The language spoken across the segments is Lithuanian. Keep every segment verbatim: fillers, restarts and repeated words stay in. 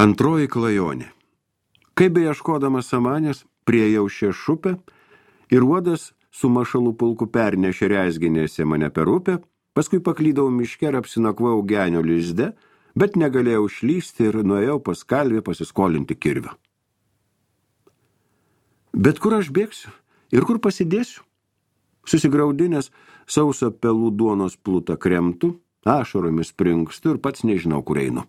Antroji klajonė. Kaip beieškodamas samanės, priejau šią šupę ir uodas su mašalų pulku pernešė rezginėse mane per upę, paskui paklydau miške ir apsinakvojau genio lizde, bet negalėjau šlysti ir nuėjau pas kalvį pasiskolinti kirvio. Bet kur aš bėgsiu ir kur pasidėsiu? Susigraudinęs sausą pelų duonos plutą kremtų, ašaromis springstu ir pats nežinau, kur einu.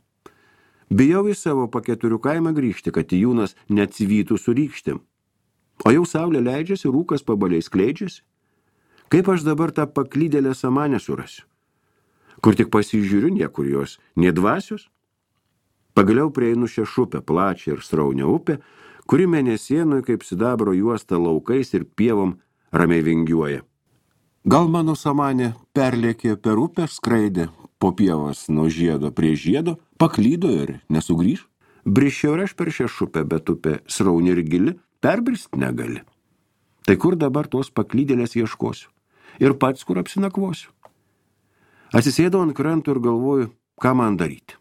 Bijau į savo paketurių kaimą grįžti, kad Tijūnas neatsivytų su rykštėm. O jau saulė leidžiasi, rūkas pabaliai skleidžiasi. Kaip aš dabar tą paklydėlę samanę surasiu? Kur tik pasižiūriu, niekur jos, nie dvasios. Pagaliau prieinu šią šupę, plačią ir sraunę upę, kuri mėnesienui kaip sidabro juosta laukais ir pievom ramiai vingiuoja. Gal mano samanė perlėkė per upę, skraidė po pievas nuo žiedo prie žiedo, paklydo ir nesugrįž. Brišiau ir aš per šią šupę, bet upė srauni ir gili, perbrist negali. Tai kur dabar tos paklydėlės ieškosiu? Ir pats kur apsinakvosiu? Atsisėdau ant kranto ir galvoju, ką man daryti.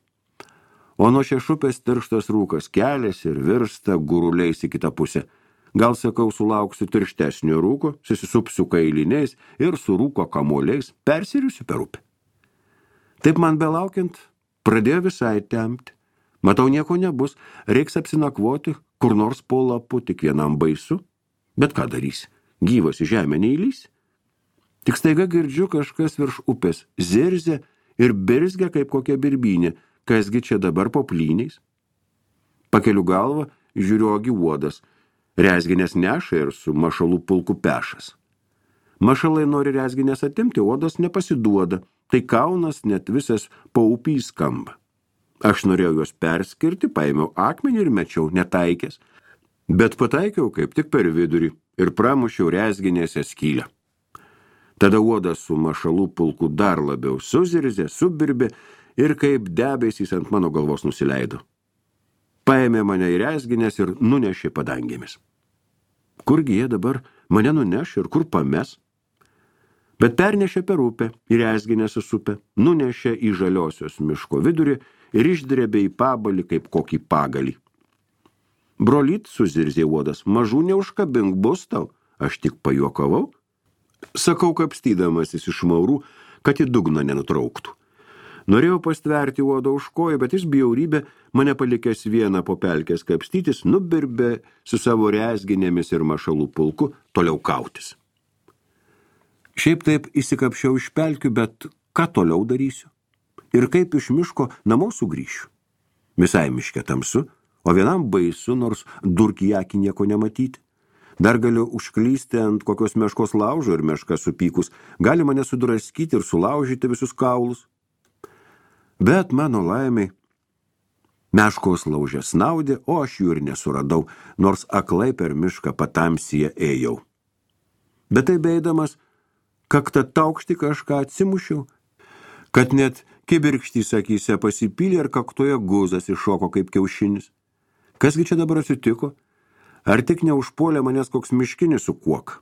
O nuo šią šupės tirštas rūkas keliasi ir virsta guruliais į kitą pusę. Gal, sakau, sulauksiu tirštesnio rūko, susisupsiu kailiniais ir su rūko kamuoliais persiriusiu per upę. Taip man belaukiant, pradėjo visai tempti. Matau, nieko nebus, reiks apsinakvoti, kur nors po lapu, tik vienam baisu. Bet ką darysi? Gyvas į žemę neįlys. Tik staiga girdžiu kažkas virš upės, zirzia ir birzgia kaip kokia birbynė, kasgi čia dabar po plyniais. Pakeliu galvą, žiūriu ogi uodas. Rezginės neša ir su mašalų pulku pešas. Mašalai nori rezginės atimti, uodas nepasiduoda, tai kaunas net visas paupį skamba. Aš norėjau juos perskirti, paėmiau akmenį ir mečiau netaikęs, bet pataikiau kaip tik per vidurį ir pramušiau rezginėse skylę. Tada uodas su mašalų pulku dar labiau suzirzė, subirbė ir kaip debesys ant mano galvos nusileido. Paėmė mane į rezginės ir nunešė padangėmis. Kurgi jie dabar mane nuneš ir kur pames? Bet pernešė per upę, į rezginės supę, nunešė į žaliosios miško vidurį ir išdrėbė į pabalį kaip kokį pagalį. Brolyt, suzirzė uodas, mažų neužkabink bus tau, aš tik pajuokavau. Sakau, kapstydamasis iš maurų, kad į dugną nenutrauktų. Norėjau pastverti uodą už kojų, bet jis bjaurybė, mane palikęs vieną po pelkės kapstytis, nubirbė su savo rezginėmis ir mašalų pulku toliau kautis. Šiaip taip įsikapšiau iš pelkių, bet ką toliau darysiu? Ir kaip iš miško namo sugrįšiu? Visai miške tamsu, o vienam baisu, nors durkį akį nieko nematyti. Dar galiu užklysti ant kokios meškos laužo ir meška supykus, gali mane sudraskyti ir sulaužyti visus kaulus. Bet mano laimiai, meškos laužė snaudė, o aš jų ir nesuradau, nors aklai per mišką patamsyje ėjau. Bet tai beidamas, kaktą taukštį kažką atsimušiau, kad net kibirkštys akyse pasipylė ir kaktoje guzas iššoko kaip kiaušinis. Kasgi čia dabar atsitiko? Ar tik neužpuolė manęs koks miškinis su kuok?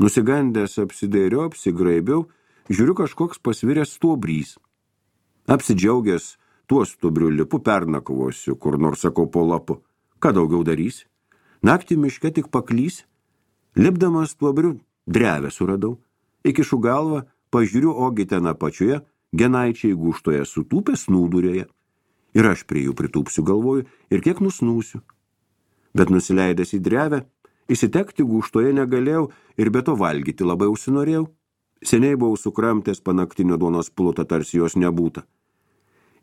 Nusigandęs apsidairiau, apsigraibiau, žiūriu kažkoks pasviręs stuobrys. Apsidžiaugęs tuo stuobriu lipu pernakvosiu, kur nors sakau po lapu. Ką daugiau darysi? Naktį miške tik paklys. Lipdamas stuobriu drevę suradau. Įkišu galvą, pažiūriu, ogi ten apačioje, genaičiai gūštoje sutūpę snūdurėje. Ir aš prie jų pritūpsiu galvoju ir kiek nusnūsiu. Bet nusileidęs į drevę, įsitekti gūštoje negalėjau ir be to valgyti labai užsinorėjau. Seniai buvau sukramtęs panaktinio duonos plutą, tarsi jos nebūta.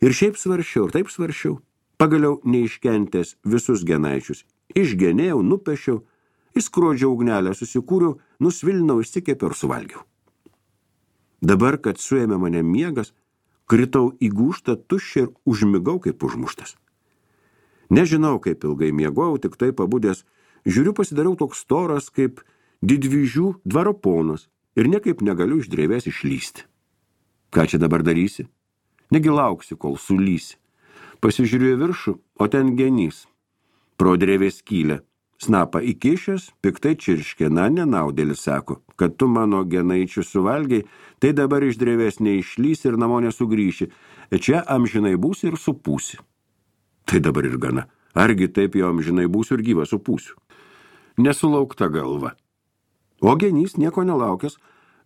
Ir šiaip svaršiau, ir taip svaršiau. Pagaliau neiškentęs visus genaičius. Išgenėjau, nupešiau, įskrodžiau ugnelę, susikūriau, nusvilinau, išsikepiau ir suvalgiau. Dabar, kad suėmė mane miegas, kritau į gūštą tuščią ir užmigau kaip užmuštas. Nežinau, kaip ilgai miegojau, tik tai pabudęs, žiūriu, pasidariau toks storas kaip didvyžių dvaro ponas ir niekaip negaliu iš drevės išlysti. Ką čia dabar darysi? Negi lauksi, kol sulysi. Pasižiūrėjau viršų, o ten genys. Pro drevės skylę. Snapą įkišęs, piktai čirškė, na, nenaudėlis sako, kad tu mano genaičių suvalgiai, tai dabar iš drevės neišlys ir namo nesugrįši. Čia amžinai būsi ir supūsi. Tai dabar ir gana. Argi taip jau amžinai būsiu ir gyvas supūsiu. Nesulaukta galva. O genys nieko nelaukęs,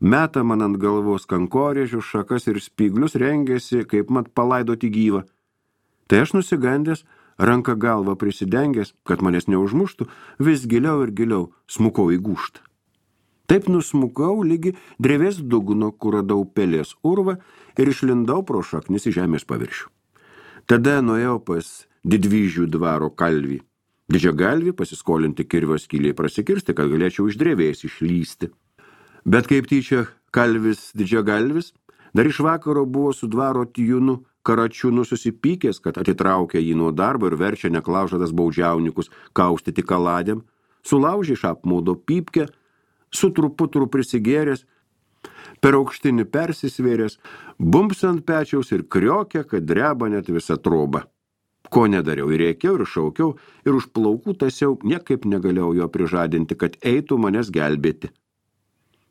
meta man ant galvos kankorėžius, šakas ir spyglius, rengėsi, kaip mat palaidoti gyvą. Tai aš nusigandęs, ranką galvą prisidengęs, kad manęs neužmuštų, vis giliau ir giliau smukau į gūžtą. Taip nusmukau lygi drevės dugno, kur radau pelės urvą ir išlindau pro šaknis į žemės paviršių. Tada nuėjau pas Didvyžių dvaro kalvį. Didžiagalvį pasiskolinti kirvio skyliai prasikirsti, kad galėčiau iš drevės išlysti. Bet kaip tyčia kalvis Didžiagalvis, dar iš vakaro buvo su dvaro tijūnu Karačiūnu susipykęs, kad atitraukia jį nuo darbo ir verčia neklaužadas baudžiaunikus kaustyti kaladėm, sulaužė iš apmaudo pypkę, su truputru prisigėręs, per aukštinį persisvėręs, bumps ant pečiaus ir kriokė, kad dreba net visa troba. Ko nedariau, ir rėkiau, ir šaukiau, ir už plaukų tasiau, niekaip negalėjau jo prižadinti, kad eitų manęs gelbėti.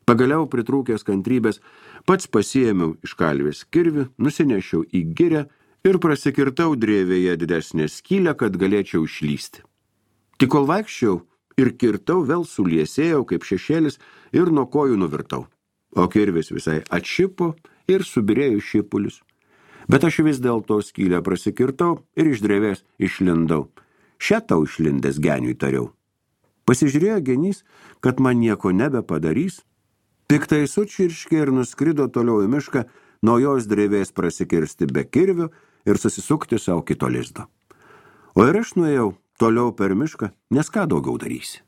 Pagaliau pritrūkęs kantrybės, pats pasiėmiau iš kalvės kirvį, nusinešiau į girę ir prasikirtau drevėje didesnę skylę, kad galėčiau išlysti. Tik kol vaikščiau ir kirtau, vėl suliesėjau kaip šešėlis ir nuo kojų nuvirtau. O kirvis visai atšipo ir subirėjo šipulius. Bet aš vis dėl to skylę prasikirtau ir iš drevės išlindau. Šią tau išlindęs geniui tariau. Pasižiūrėjo genys, kad man nieko nebepadarys, piktai sučirškė ir nuskrido toliau į mišką, naujos drevės prasikirsti be kirvio ir susisukti savo kito lizdo. O ir aš nuėjau toliau per mišką, nes ką daugiau darysi.